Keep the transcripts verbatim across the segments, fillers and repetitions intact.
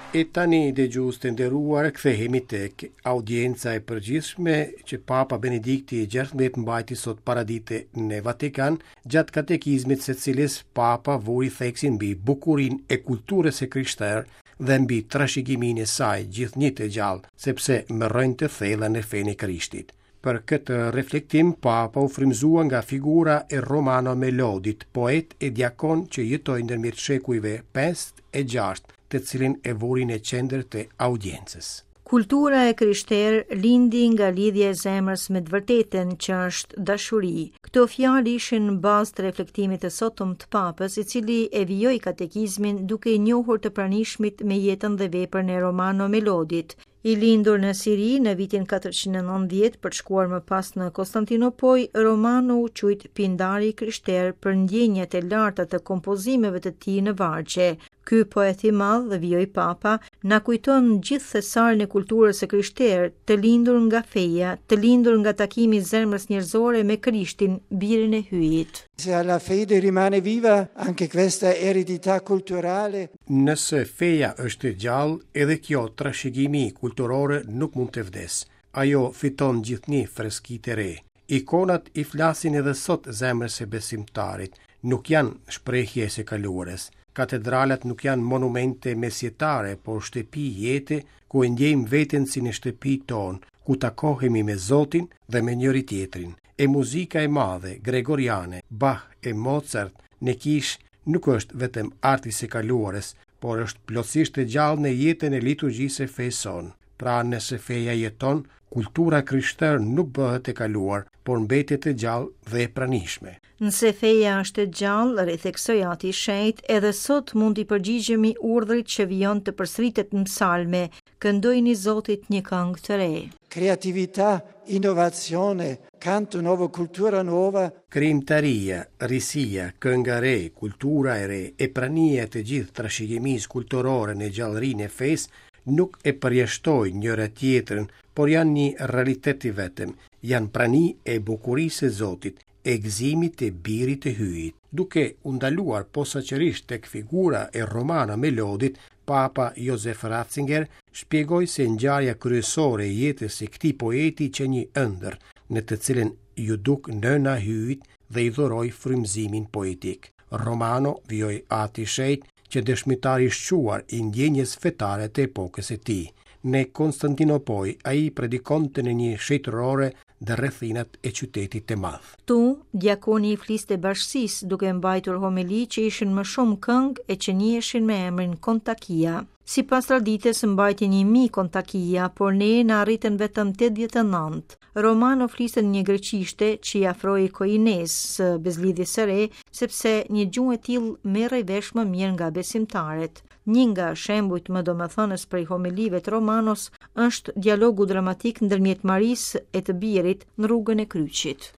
E tani, dëgjues të nderuar, kthehemi tek audienca e përgjithshme që Papa Benedikti i gjashtëmbëdhjetë mbajti sot paradite në Vatikan, gjatë katekizmit së cilës Papa vuri theksin mbi bukurinë e kulturës së krishterë dhe mbi trashëgiminë e saj gjithnjë të gjallë, sepse me rrënjë të thella në fenë e Krishtit. Për këtë reflektim, Papa u frymëzua nga figura e Romano Melodit, poet e diakon që jetoi ndërmjet shekujve pesë e gjashtë, të cilin e vuri në qendër të audiencës. Kultura e krishterë lindi nga lidhja e zemrës me të vërtetën, që është dashuri. Këto fjalë ishin në bazë të reflektimit të sotëm të Papës, i cili e vijoi katekizmin duke i njohur të pranishmit me jetën dhe veprën e Romano Melodit. I lindur në Siri në vitin katërqind e nëntëdhjetë për të shkuar më pas në Konstantinopoj, Romano u quajt pindari i krishterë për ndjenjat e larta të kompozimeve të tij në vargje. Ky poet i madh, vijoi Papa, na kujton gjithë thesarin e kulturës së krishterë, të lindur nga feja, të lindur nga takimi i zemrës njerëzore me Krishtin, birin e Hyjit. Se alla fede rimane viva anche questa eredità culturale. Nëse feja është e gjallë, edhe kjo trashëgimi kulturore nuk mund të vdesë. Ajo fiton gjithnjë freski të re. Ikonat i flasin edhe sot zemrës së besimtarit, nuk janë shprehje e së kaluarës. Katedralat nuk janë monumente mesjetare, por shtëpi jete ku e ndjejmë veten si në shtëpi tonë, ku takohemi me Zotin dhe me njëri tjetrin. E muzika e madhe, gregoriane, Bach e Mozart në kishë nuk është vetëm arti i së kaluarës, por është plotësisht e gjallë në jetën e liturgjisë së fesë sonë. Pra, nëse feja jeton, kultura krishterë nuk bëhet e kaluar, por mbetet e gjallë dhe e pranishme. Nëse feja është e gjallë, ritheksoi Ati i Shenjt, edhe sot mund t'i përgjigjemi urdhrit që vijon të përsëritet në psalme, këndojini Zotit një këngë të re. Creatività, innovazione, canto nuovo, cultura nuova. Krijimtaria, risia, kënga re, kultura e re, e prania e të gjithë trashëgimisë kulturore në gjallërinë e fesë nuk e përjashtojnë njëra tjetrën, por janë një realitet i vetëm, janë prani e bukurisë së Zotit, e gëzimit të birit të Hyjit. Duke u ndaluar posaçërisht tek figura e Romano Melodit, Papa Josef Ratzinger shpjegoi se ngjarja kryesore e jetës së këtij poeti qe një ëndër, në të cilën ju duk nëna e Hyjit dhe i dhuroi frymëzimin poetik. Romano, vijoi Ati i Shenjt, që dëshmitar i shquar i ndjenjës fetare të epokës së tij. Në Konstantinopoj ai predikonte në një shtëtërore dhe rrethinat e qytetit të madh. Tu, diakoni i fliste bashkësisë duke mbajtur homeli që ishin më shumë këngë e që njiheshin me emrin Kontakia. Sipas traditës mbajti një mijë kontakia, por ne na arritën vetëm tetëdhjetë e nëntë. Romano fliste në një greqishte që i afroi koines së bezlidhjes së re, sepse një gjuhë e tillë merrej vesh më mirë nga besimtarët. Një nga shembujt më domethënës prej homelive të Romanos është dialogu dramatik ndërmjet Marisë e të birit në rrugën e kryqit.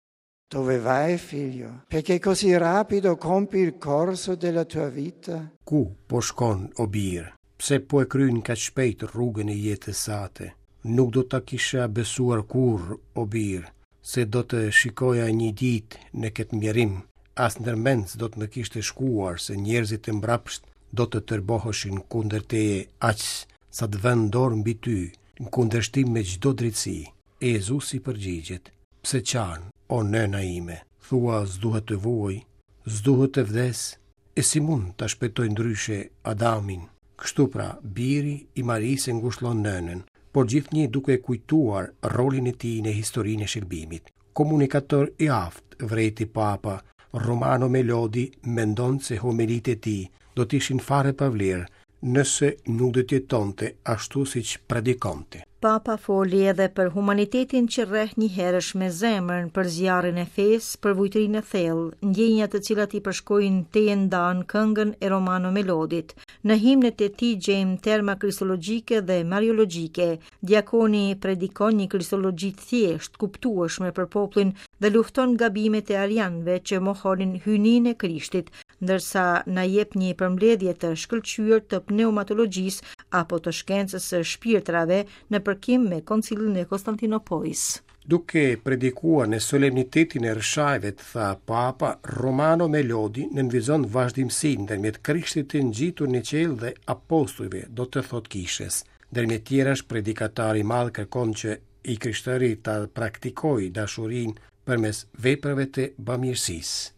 Dove vai, figlio? Perché così rapido compi il corso della tua vita? Ku po shkon, o bir? Pse po e kryen kaq shpejt rrugën e jetës sate? Nuk do ta kisha besuar kurrë, o bir, se do të shikoja një ditë në këtë mjerim. As ndërmend s'do të më kishte shkuar se njerëzit e mbrapsht do të tërboheshin kundër teje aq sa të vënë dorë mbi ty, në kundërshtim me çdo drejtësi. E Jezusi përgjigjet: Pse qan, o nëna ime? Thua s'duhet të vuaj, s'duhet të vdes, e si mund ta shpëtoj ndryshe Adamin? Kështu pra, biri i Marisë ngushllon nënën, por gjithnjë duke kujtuar rolin e tij në historinë e shërbimit. Komunikator i aftë, vrejti Papa, Romano Melodi mendon se homelitë e tij do të ishin fare pa vlerë nëse nuk do të jetonte ashtu siç predikonte. Papa foli edhe për humanitetin që rreh njëherësh me zemrën, për zjarrin e fesë, për vujtrinë e thellë, ndjenja të cilat i përshkojnë te e ndan këngën e Romano Melodit. Në himnet e tij gjejmë terma kristologjike dhe mariologjike. Diakoni predikon një kristologji të thjeshtë, kuptueshme për popullin dhe lufton gabimet e arianëve që mohonin hyjninë e Krishtit, ndërsa na jep një përmbledhje të shkëlqyer të pneumatologjisë apo të shkencës së shpirtrave në përkim me Koncilin e Konstantinopojës. Duke predikuar në solemnitetin e Rrëshajve, tha Papa, Romano Melodi nënvizon vazhdimësinë ndërmjet Krishtit të ngjitur në qiell dhe apostujve, do të thotë kishës. Ndërmjet tjerash, predikatari i madh kërkon që i krishtëri ta praktikojë dashurinë përmes veprave të bamirësisë.